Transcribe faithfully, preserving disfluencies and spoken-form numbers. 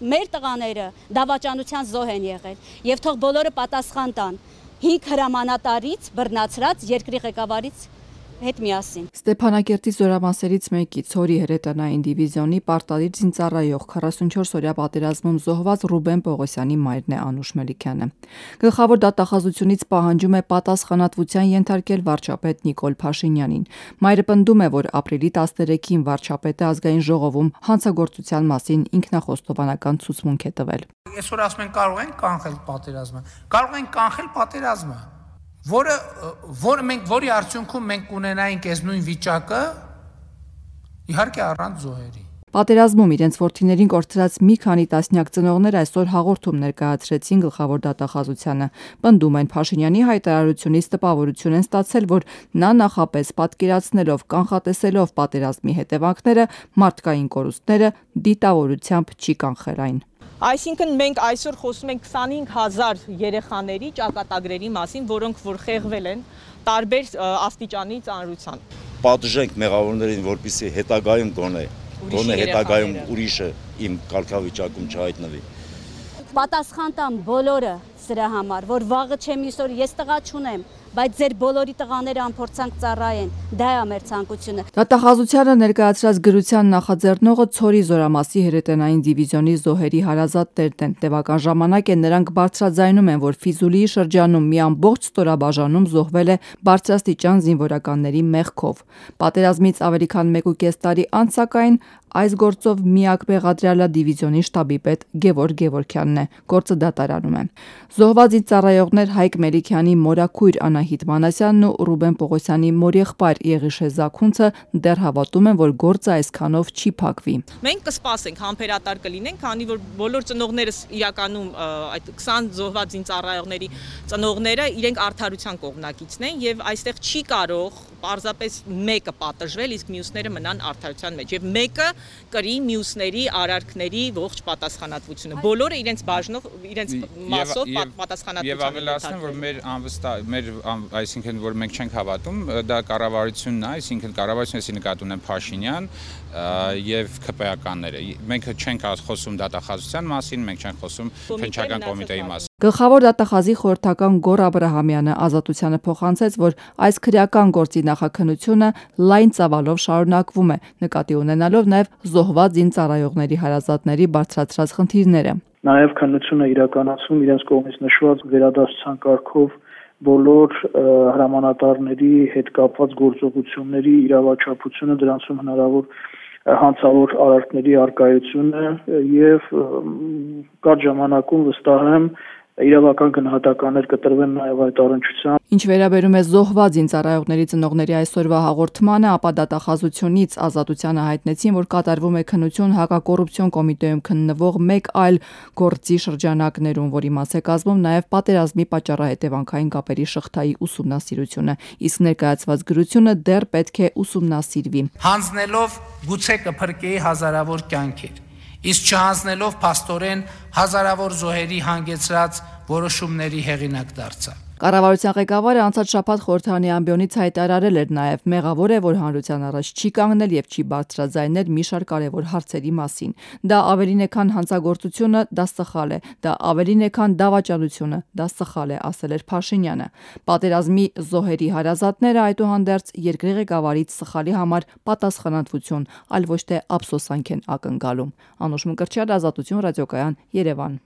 մեր տղաները դավաճանության զոհ են եղել եւ թող բոլորը պատասխան տան հինգ հրամանատարից բռնացրած երկրի ղեկավարից հետ միասին։ Ստեփանակերտի զորամասերից մեկի Ցորի հրետանային դիվիզիոնի պարտադիր զինծառայող քառասունչորս օրյա պատերազմում զոհված Ռուբեն Պողոսյանի մայրն է Անուշ Մելիքյանը։ Գլխավոր դատախազությունից պահանջում է պատասխանատվության ենթարկել վարչապետ Նիկոլ Փաշինյանին։ Մայրը պնդում է, որ ապրիլի տասներեքին վարչապետը ազգային ժողովում հանցագործության մասին ինքնախոստովանական ցուցմունք է տվել։ Այսօր ասում են կարող են կանխել պատերազմը, կարող են կանխել պատերազմը, որը որը մենք որի արդյունքում մենք կունենայինք այս նույն վիճակը, իհարկե առանց զոհերի։ Պատերազմում իրենց որդիներին կորցրած մի քանի տասնյակ ծնողներ այսօր հաղորդում ներկայացրեցին գլխավոր դատախազությանը։ Պնդում են Փաշինյանի հայտարարությունից տպավորություն են ստացել, որ նա նախապես պատկերացնելով, կանխատեսելով պատերազմի հետևանքները, մարդկային կորուստները դիտավորությամբ չի կանխել այն։ Այսինքն մենք այսօր խոսում ենք քսանհինգ հազար երեխաների ճակատագրերի մասին, որոնք որ խեղվել են տարբեր աստիճանի ծանրության։ Պատժենք մեղավորներին, որպեսզի հետագայում գոնե գոնե հետագայում ուրիշը իմ կարգավիճակում չհայտնվի։ Պատասխան տան բոլորը սրա համար, որ վաղը չեմ իսօր ես տղա չունեմ, բայց ձեր բոլորի տղաները անփորձանք ծառայեն, դա է մեր ցանկությունը։ Դատախազությանը ներկայացրած գրության նախաձեռնողը Ցորի զորամասի հրետանային դիվիզիոնի զոհերի հարազատներն են։ Տևական ժամանակ է նրանք բարձրաձայնում են, որ Ֆիզուլիի շրջանում մի ամբողջ ստորաբաժանում զոհվել է բարձրաստիճան զինվորականների մեղքով։ Պատերազմից ավելի քան մեկ ու կես տարի անց սակայն այս գործով միակ մեղադրյալը դիվիզիոնի շտաբի պետ Գևորգ Գևորգյանն է, գործը դատարանում է։ Զոհված ծառայողներ Հայկ Մելիքյանի մորաքույր Անահիտ Մանասյանն ու Ռուբեն Պողոսյանի մորեղբայր Եղիշե Զաքունցը դեռ հավատում են, որ գործը այսքանով չի փակվի։ Մենք կսպասենք, համբերատար կլինենք, քանի որ բոլոր ծնողներս իրականում այդ քսան զոհված ծառայողների ծնողները իրենք արդարության կողմնակիցն են եւ այստեղ չի կարող պարզապես մեկը պատժվել, իսկ մյուսները մնան արդարության մեջ եւ մեկը կրի մյուսների արարքների ողջ պատասխանատվությունը։ Բոլորը իրենց բաժնով, իրենց մասով պատասխանատվություն։ Եվ ավելացնեմ, որ մեր անվստահ, մեր այսինքն որ մենք չենք հավատում, դա կառավարությունն է, այսինքն կառավարությունը նկատի ունեն Փաշինյան եւ ՔՊԱ-ականները։ Մենք չենք խոսում դատախազության մասին, մենք չենք խոսում քննչական կոմիտեի մասին։ Գլխավոր դատախազի խորհրդական Գոռ Աբրահամյանը ազատությանը փոխանցեց, որ այս քրեական գործի նախաքննությունը լայն ծավալով շարունակվում է, նկատի ունենալով նաև զոհված զինծառայողների հարազատների բարձրացրած խնդիրները։ Նաև քննությունը իրականացում իրենց կողմից նշված վերադասության կարգով բոլոր հրամանատարների հետ կապված գործողությունների իրավաչափությունը, դրանցում հնարավոր հանցավոր արարքների առկայությունը եւ կարճ ժամանակում վստահ եմ իրավական գնահատականներ կտրվեն նաև այդ առնչությամբ։ Ինչ վերաբերում է զոհված զինծառայողների ծնողների այսօրվա հաղորդմանը, ապա դատախազությունից ազատությանը հայտնեցին, որ կատարվում է քննություն հակակոռուպցիոն կոմիտեում քննվող մեկ այլ գործի շրջանակներում, որի մաս է կազմում նաև պատերազմի պատճառահետևանքային կապերի շղթայի ուսումնասիրությունը, իսկ ներկայացված գրությունը դեռ պետք է ուսումնասիրվի։ Հանձնելով գուցե կփրկեի հազարավոր կյանքեր, իսկ չհանձնելով փաստորեն հազարավոր զոհերի հանգեցրած որոշումների հեղինակ դարձա։ Կառավարության ղեկավարը անցած շաբաթ խորհրդարանի ամբիոնից հայտարարել էր նաև մեղավոր է, որ հանրության առաջ չի կանգնել եւ չի բարձրաձայնել մի շարք կարևոր հարցերի մասին։ Դա ավելին է քան հանցագործությունը, դա սխալ է, դա ավելին է քան դավաճանությունը, դա սխալ է, ասել էր Փաշինյանը։ Պատերազմի զոհերի հարազատները այդուհանդերձ երկրի ղեկավարից սխալի համար պատասխանատվություն, այլ ոչ թե ափսոսանք են ակնկալում։ Անուշ Մկրտչյան, Ազատություն ռադիոկայան, Երևան։